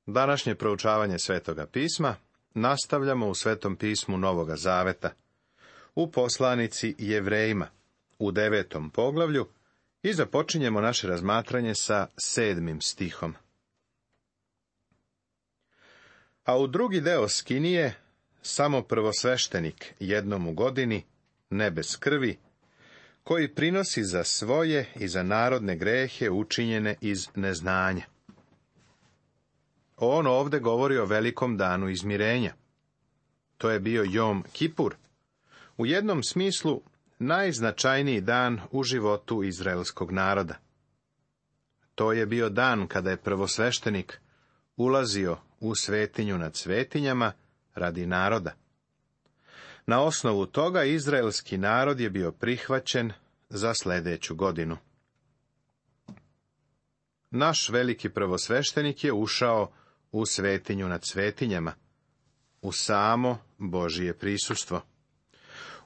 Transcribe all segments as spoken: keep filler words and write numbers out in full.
Današnje proučavanje Svetoga pisma nastavljamo u Svetom pismu Novoga Zaveta, u poslanici Jevrejima, u devetom poglavlju, i započinjemo naše razmatranje sa sedmim stihom. A u drugi deo skinije, samo prvosveštenik jednom u godini, ne bez krvi, koji prinosi za svoje i za narodne grehe učinjene iz neznanja. On ovde govori o velikom danu izmirenja. To je bio Jom Kipur, u jednom smislu najznačajniji dan u životu izraelskog naroda. To je bio dan kada je prvosveštenik ulazio u svetinju nad svetinjama radi naroda. Na osnovu toga izraelski narod je bio prihvaćen za sljedeću godinu. Naš veliki prvosveštenik je ušao u svetinju nad svetinjama, u samo Božije prisustvo.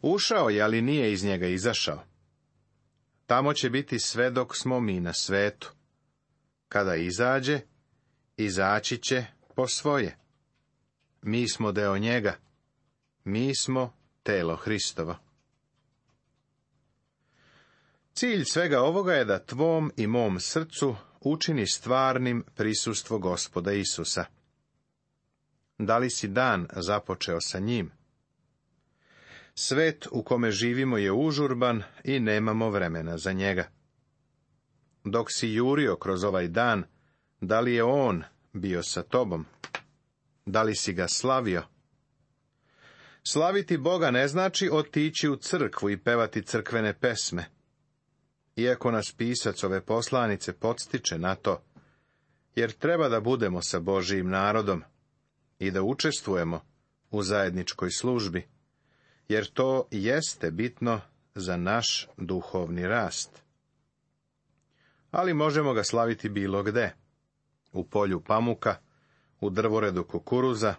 Ušao je, ali nije iz njega izašao. Tamo će biti sve dok smo mi na svetu. Kada izađe, izaći će po svoje. Mi smo deo njega. Mi smo telo Hristovo. Cilj svega ovoga je da tvom i mom srcu učini stvarnim prisustvo Gospoda Isusa. Da li si dan započeo sa njim? Svet u kome živimo je užurban i nemamo vremena za njega. Dok si jurio kroz ovaj dan, da li je on bio sa tobom? Da li si ga slavio? Slaviti Boga ne znači otići u crkvu i pevati crkvene pesme. Iako nas pisac ove poslanice podstiče na to, jer treba da budemo sa Božijim narodom i da učestvujemo u zajedničkoj službi, jer to jeste bitno za naš duhovni rast. Ali možemo ga slaviti bilo gde, u polju pamuka, u drvoredu kukuruza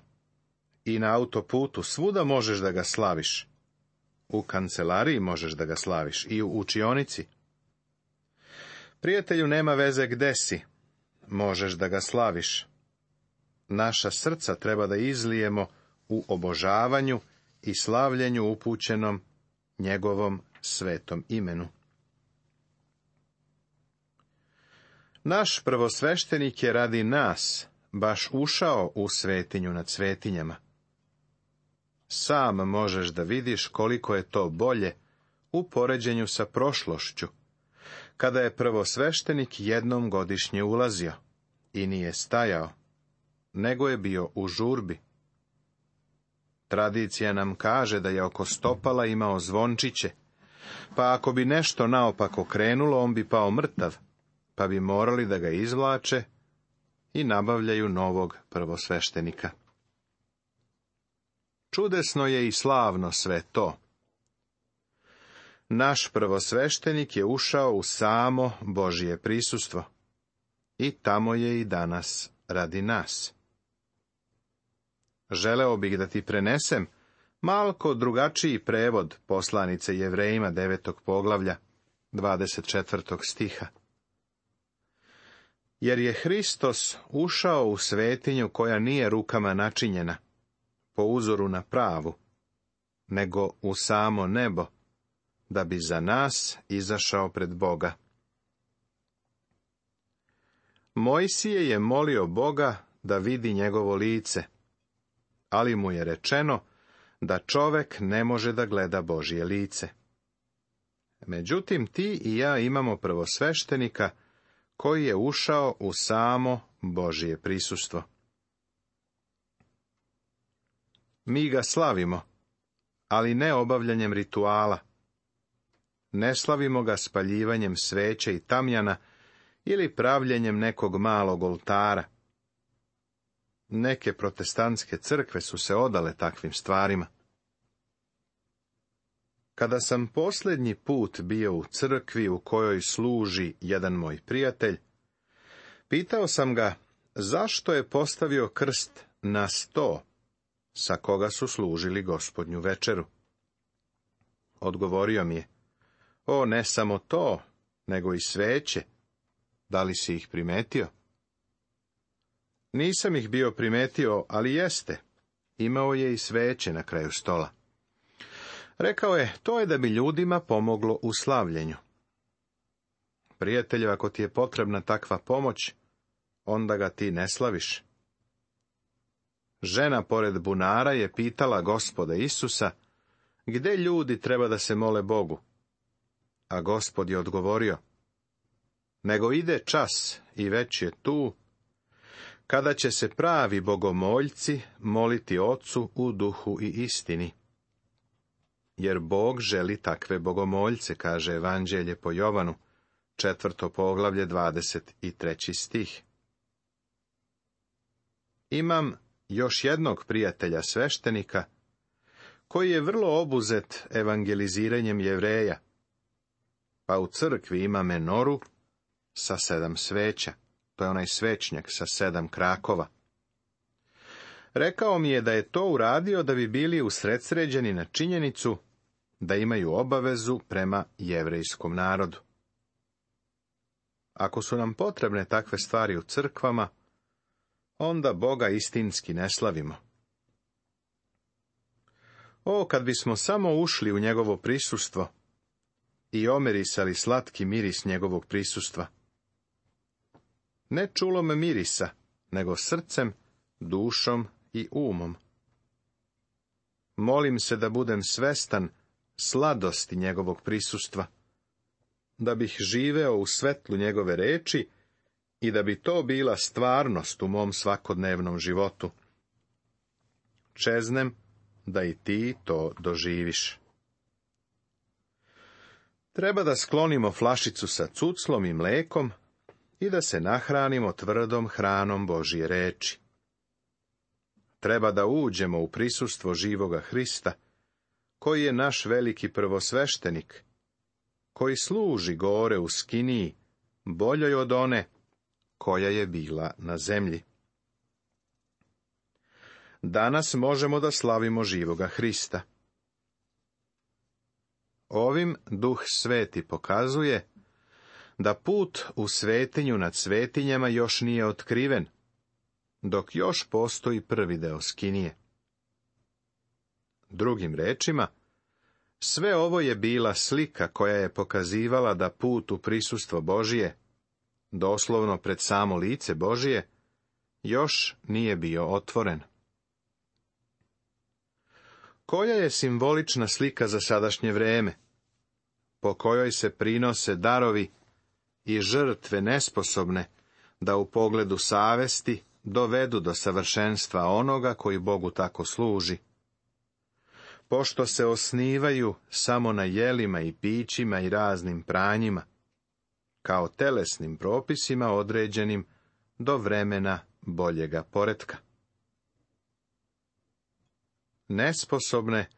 i na autoputu, svuda možeš da ga slaviš. U kancelariji možeš da ga slaviš i u učionici. Prijatelju, nema veze gde si, možeš da ga slaviš. Naša srca treba da izlijemo u obožavanju i slavljenju upućenom njegovom svetom imenu. Naš prvosveštenik je radi nas baš ušao u svetinju nad svetinjama. Sam možeš da vidiš koliko je to bolje u poređenju sa prošlošću, kada je prvosveštenik jednom godišnje ulazio i nije stajao, nego je bio u žurbi. Tradicija nam kaže da je oko stopala imao zvončiće, pa ako bi nešto naopako krenulo, on bi pao mrtav, pa bi morali da ga izvlače i nabavljaju novog prvosveštenika. Čudesno je i slavno sve to. Naš prvosveštenik je ušao u samo Božije prisustvo i tamo je i danas radi nas. Želeo bih da ti prenesem malko drugačiji prevod poslanice Jevrejima devetog poglavlja, dvadeset četvrtog stiha. Jer je Hristos ušao u svetinju koja nije rukama načinjena, po uzoru na pravu, nego u samo nebo, da bi za nas izašao pred Boga. Mojsije je molio Boga da vidi njegovo lice, ali mu je rečeno da čovek ne može da gleda Božje lice. Međutim, ti i ja imamo prvosveštenika koji je ušao u samo Božje prisustvo. Mi ga slavimo, ali ne obavljanjem rituala. Ne slavimo ga spaljivanjem sveće i tamjana ili pravljenjem nekog malog oltara. Neke protestantske crkve su se odale takvim stvarima. Kada sam posljednji put bio u crkvi u kojoj služi jedan moj prijatelj, pitao sam ga zašto je postavio krst na sto sa koga su služili Gospodnju večeru. Odgovorio mi je: o, ne samo to, nego i sveće. Da li si ih primetio? Nisam ih bio primetio, ali jeste. Imao je i sveće na kraju stola. Rekao je, to je da bi ljudima pomoglo u slavljenju. Prijatelju, ako ti je potrebna takva pomoć, onda ga ti ne slaviš. Žena pored bunara je pitala Gospoda Isusa, gde ljudi treba da se mole Bogu? A Gospod je odgovorio, nego ide čas i već je tu, kada će se pravi bogomoljci moliti Ocu u duhu i istini. Jer Bog želi takve bogomoljce, kaže Evanđelje po Jovanu, četvrto poglavlje, dvadeset treći stih. Imam još jednog prijatelja sveštenika, koji je vrlo obuzet evangeliziranjem Jevreja, pa u crkvi ima menoru sa sedam sveća. To je onaj svećnjak sa sedam krakova. Rekao mi je da je to uradio da bi bili usredsređeni na činjenicu da imaju obavezu prema jevrejskom narodu. Ako su nam potrebne takve stvari u crkvama, onda Boga istinski ne slavimo. O, kad bismo samo ušli u njegovo prisustvo i omirisali slatki miris njegovog prisustva. Ne čulom mirisa, nego srcem, dušom i umom. Molim se da budem svestan sladosti njegovog prisustva, da bih živeo u svetlu njegove reči i da bi to bila stvarnost u mom svakodnevnom životu. Čeznem da i ti to doživiš. Treba da sklonimo flašicu sa cuclom i mlekom i da se nahranimo tvrdom hranom Božje reči. Treba da uđemo u prisustvo živoga Hrista, koji je naš veliki prvosveštenik, koji služi gore u skiniji, boljoj od one koja je bila na zemlji. Danas možemo da slavimo živoga Hrista. Ovim Duh Sveti pokazuje da put u svetinju nad svetinjama još nije otkriven, dok još postoji prvi deo skinije. Drugim rečima, sve ovo je bila slika koja je pokazivala da put u prisustvo Božije, doslovno pred samo lice Božije, još nije bio otvoren. Koja je simbolična slika za sadašnje vreme, po kojoj se prinose darovi i žrtve nesposobne da u pogledu savesti dovedu do savršenstva onoga koji Bogu tako služi. Pošto se osnivaju samo na jelima i pićima i raznim pranjima, kao telesnim propisima određenim do vremena boljega poretka. Nesposobne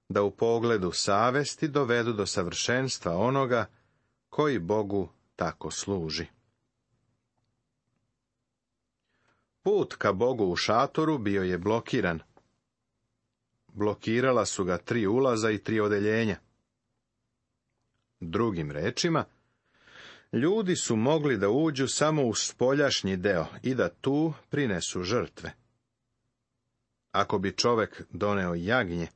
da u pogledu savesti dovedu do savršenstva onoga koji Bogu tako služi. Put ka Bogu u šatoru bio je blokiran. Blokirala su ga tri ulaza i tri odeljenja. Drugim rečima, ljudi su mogli da uđu samo u spoljašnji deo i da tu prinesu žrtve. Ako bi čovek doneo jagnje,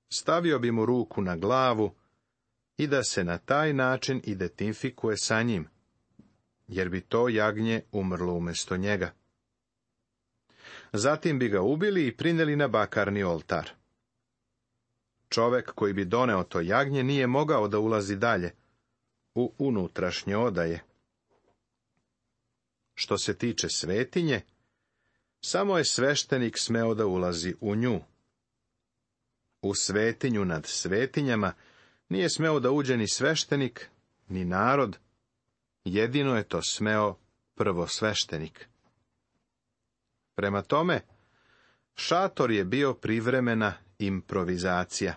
stavio bi mu ruku na glavu i da se na taj način identifikuje sa njim, jer bi to jagnje umrlo umjesto njega. Zatim bi ga ubili i prineli na bakarni oltar. Čovek koji bi doneo to jagnje nije mogao da ulazi dalje, u unutrašnje odaje. Što se tiče svetinje, samo je sveštenik smeo da ulazi u nju. U svetinju nad svetinjama nije smeo da uđe ni sveštenik, ni narod, jedino je to smeo prvosveštenik. Prema tome, šator je bio privremena improvizacija.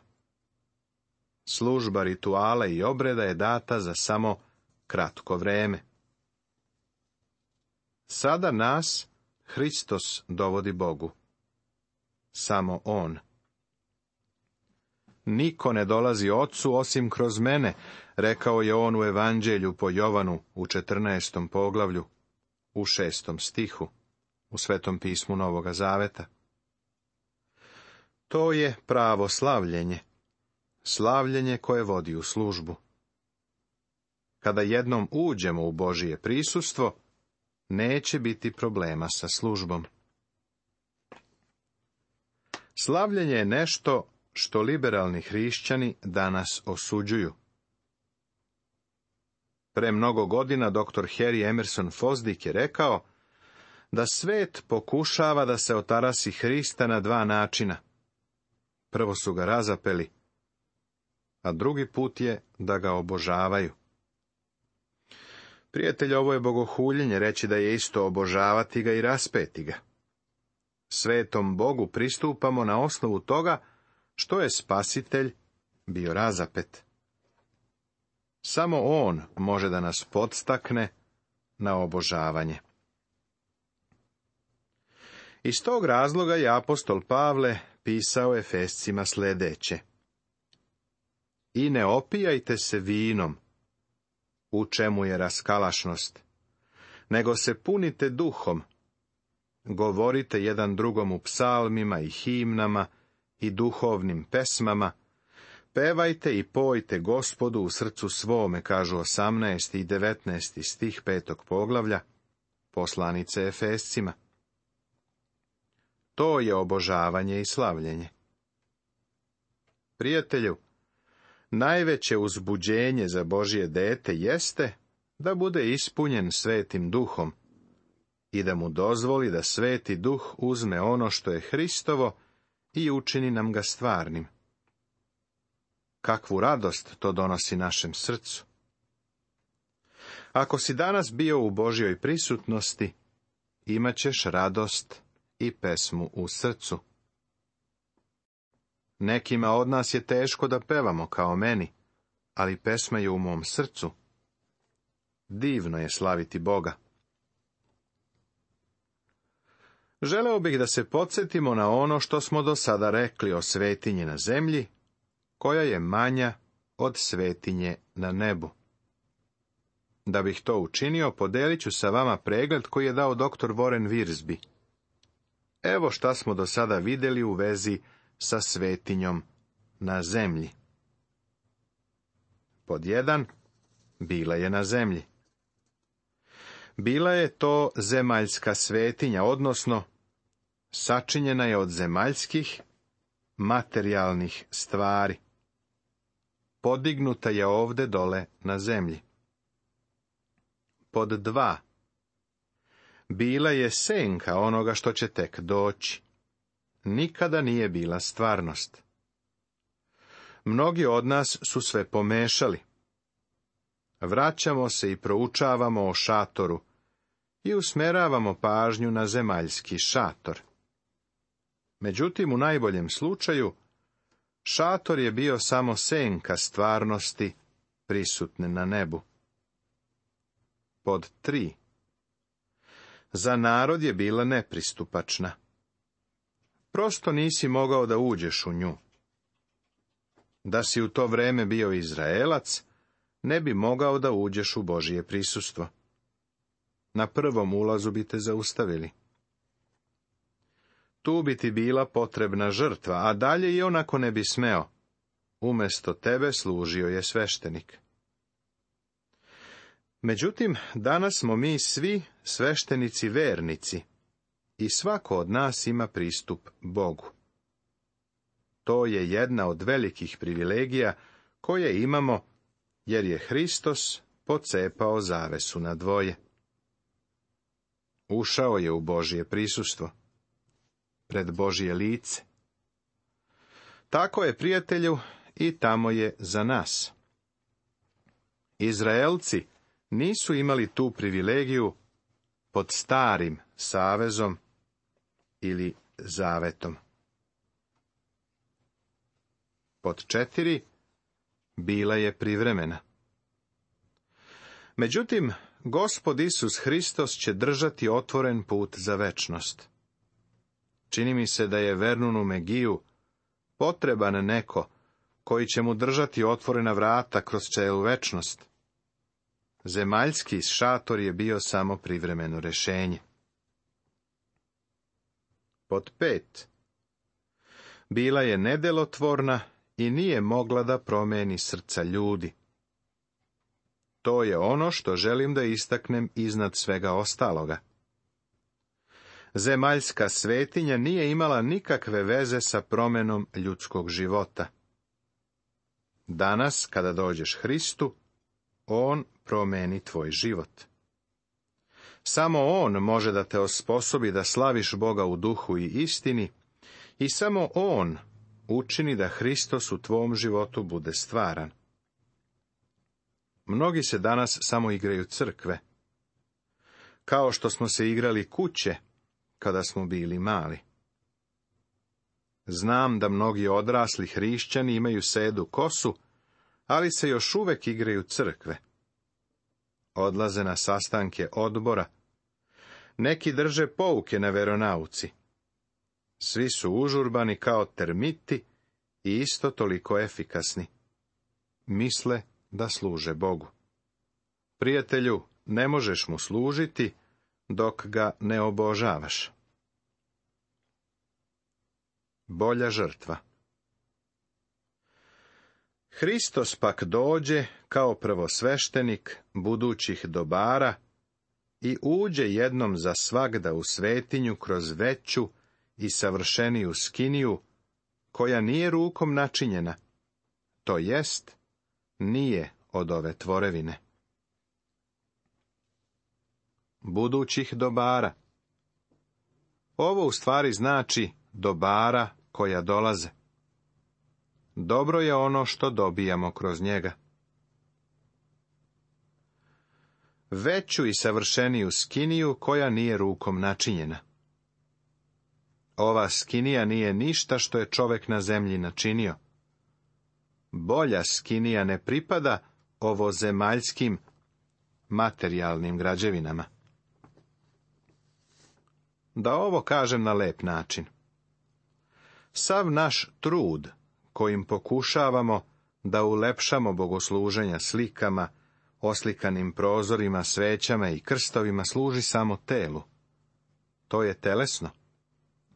Služba rituala i obreda je data za samo kratko vreme. Sada nas Hristos dovodi Bogu. Samo On. Niko ne dolazi Ocu osim kroz mene, rekao je on u Evanđelju po Jovanu u četrnaestom poglavlju, u šestom stihu. u Svetom pismu Novoga Zaveta. To je pravo slavljenje, slavljenje koje vodi u službu. Kada jednom uđemo u Božije prisustvo, neće biti problema sa službom. Slavljenje je nešto što liberalni hrišćani danas osuđuju. Pre mnogo godina doktor Harry Emerson Fosdick je rekao da svet pokušava da se otarasi Hrista na dva načina. Prvo su ga razapeli, a drugi put je da ga obožavaju. Prijatelj, ovo je bogohuljenje reći da je isto obožavati ga i raspeti ga. Svetom Bogu pristupamo na osnovu toga što je Spasitelj bio razapet. Samo on može da nas podstakne na obožavanje. Iz tog razloga je apostol Pavle pisao Efescima sljedeće: I ne opijajte se vinom, u čemu je raskalašnost, nego se punite duhom, govorite jedan drugom u psalmima i himnama i duhovnim pesmama, pevajte i pojte Gospodu u srcu svome, kažu osamnaesti i devetnaesti stih petog poglavlja poslanice Efescima. To je obožavanje i slavljenje. Prijatelju, najveće uzbuđenje za Božje dete jeste da bude ispunjen Svetim Duhom i da mu dozvoli da Sveti Duh uzme ono što je Hristovo i učini nam ga stvarnim. Kakvu radost to donosi našem srcu. Ako si danas bio u Božjoj prisutnosti, imat ćeš radost i pesmu u srcu. Nekima od nas je teško da pevamo kao meni, ali pesma je u mom srcu. Divno je slaviti Boga. Želeo bih da se podsjetimo na ono što smo do sada rekli o svetinji na zemlji, koja je manja od svetinje na nebu. Da bih to učinio, podelit ću sa vama pregled koji je dao doktor Warren Wiersbe. Evo šta smo do sada vidjeli u vezi sa svetinjom na zemlji. Pod jedan, bila je na zemlji. Bila je to zemaljska svetinja, odnosno sačinjena je od zemaljskih, materijalnih stvari. Podignuta je ovde dole na zemlji. Pod dva, bila je senka onoga što će tek doći. Nikada nije bila stvarnost. Mnogi od nas su sve pomešali. Vraćamo se i proučavamo o šatoru i usmeravamo pažnju na zemaljski šator. Međutim, u najboljem slučaju, šator je bio samo senka stvarnosti prisutne na nebu. Pod tri. Za narod je bila nepristupačna. Prosto nisi mogao da uđeš u nju. Da si u to vreme bio Izraelac, ne bi mogao da uđeš u Božje prisustvo. Na prvom ulazu bi te zaustavili. Tu bi ti bila potrebna žrtva, a dalje i onako ne bi smeo. Umesto tebe služio je sveštenik. Međutim, danas smo mi svi sveštenici vernici i svako od nas ima pristup Bogu. To je jedna od velikih privilegija koje imamo, jer je Hristos pocepao zavesu na dvoje. Ušao je u Božje prisustvo, pred Božje lice. Tako je, prijatelju, i tamo je za nas. Izraelci nisu imali tu privilegiju pod starim savezom ili zavetom. Pod četiri, bila je privremena. Međutim, Gospod Isus Hristos će držati otvoren put za večnost. Čini mi se da je Vernunu Megiju potreban neko koji će mu držati otvorena vrata kroz celu večnost. Zemaljski šator je bio samo privremeno rešenje. Pod pet. Bila je nedelotvorna i nije mogla da promeni srca ljudi. To je ono što želim da istaknem iznad svega ostaloga. Zemaljska svetinja nije imala nikakve veze sa promenom ljudskog života. Danas, kada dođeš Hristu, on promeni tvoj život. Samo on može da te osposobi da slaviš Boga u duhu i istini, i samo on učini da Hristos u tvom životu bude stvaran. Mnogi se danas samo igraju crkve, kao što smo se igrali kuće kada smo bili mali. Znam da mnogi odrasli hrišćani imaju sedu kosu, ali se još uvek igraju crkve. Odlaze na sastanke odbora. Neki drže pouke na veronauci. Svi su užurbani kao termiti i isto toliko efikasni. Misle da služe Bogu. Prijatelju, ne možeš mu služiti dok ga ne obožavaš. Bolja žrtva. Hristos pak dođe kao prvosveštenik budućih dobara i uđe jednom za svagda u svetinju kroz veću i savršeniju skiniju, koja nije rukom načinjena, to jest, nije od ove tvorevine. Budućih dobara. Ovo u stvari znači dobara koja dolaze. Dobro je ono što dobijamo kroz njega. Veću i savršeniju skiniju koja nije rukom načinjena. Ova skinija nije ništa što je čovek na zemlji načinio. Bolja skinija ne pripada ovozemaljskim materijalnim građevinama. Da ovo kažem na lep način. Sav naš trud kojim pokušavamo da ulepšamo bogosluženja slikama, oslikanim prozorima, svećama i krstovima služi samo telu. To je telesno.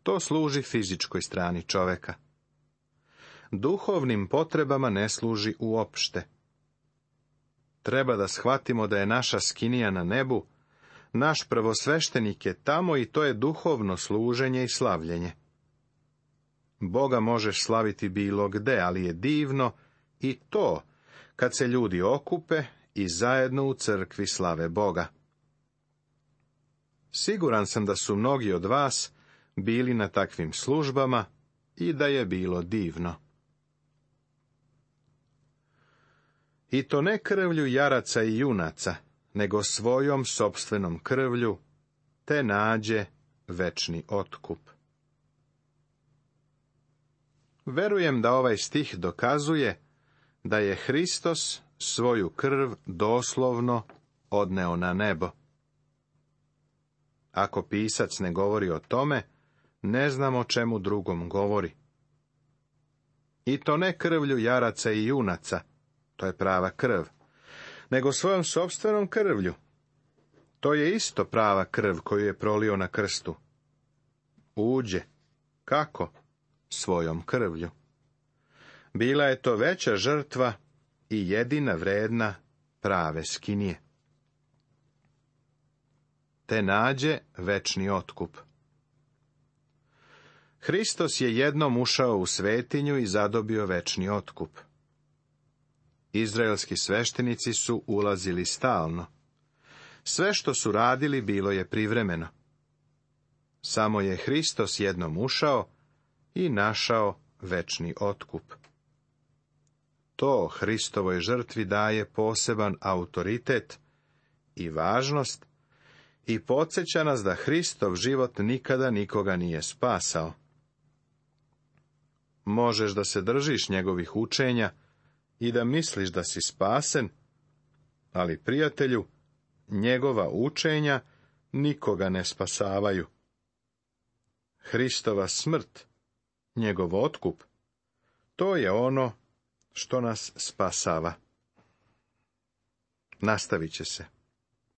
To služi fizičkoj strani čoveka. Duhovnim potrebama ne služi uopšte. Treba da shvatimo da je naša skinija na nebu, naš prvosveštenik je tamo i to je duhovno služenje i slavljenje. Boga možeš slaviti bilo gde, ali je divno i to kad se ljudi okupe i zajedno u crkvi slave Boga. Siguran sam da su mnogi od vas bili na takvim službama i da je bilo divno. I to ne krvlju jaraca i junaca, nego svojom sopstvenom krvlju, te nađe večni otkup. Verujem da ovaj stih dokazuje da je Hristos svoju krv doslovno odneo na nebo. Ako pisac ne govori o tome, ne znam o čemu drugom govori. I to ne krvlju jaraca i junaca, to je prava krv, nego svojom sopstvenom krvlju. To je isto prava krv koju je prolio na krstu. Uđe. Kako? Svojom krvlju. Bila je to veća žrtva i jedina vredna prave skinije. Te nađe večni otkup. Hristos je jednom ušao u svetinju i zadobio večni otkup. Izraelski sveštenici su ulazili stalno. Sve što su radili bilo je privremeno. Samo je Hristos jednom ušao i našao večni otkup. To Hristovoj žrtvi daje poseban autoritet i važnost i podsjeća nas da Hristov život nikada nikoga nije spasao. Možeš da se držiš njegovih učenja i da misliš da si spasen, ali, prijatelju, njegova učenja nikoga ne spasavaju. Hristova smrt, njegov otkup, to je ono što nas spasava. Nastavit će se.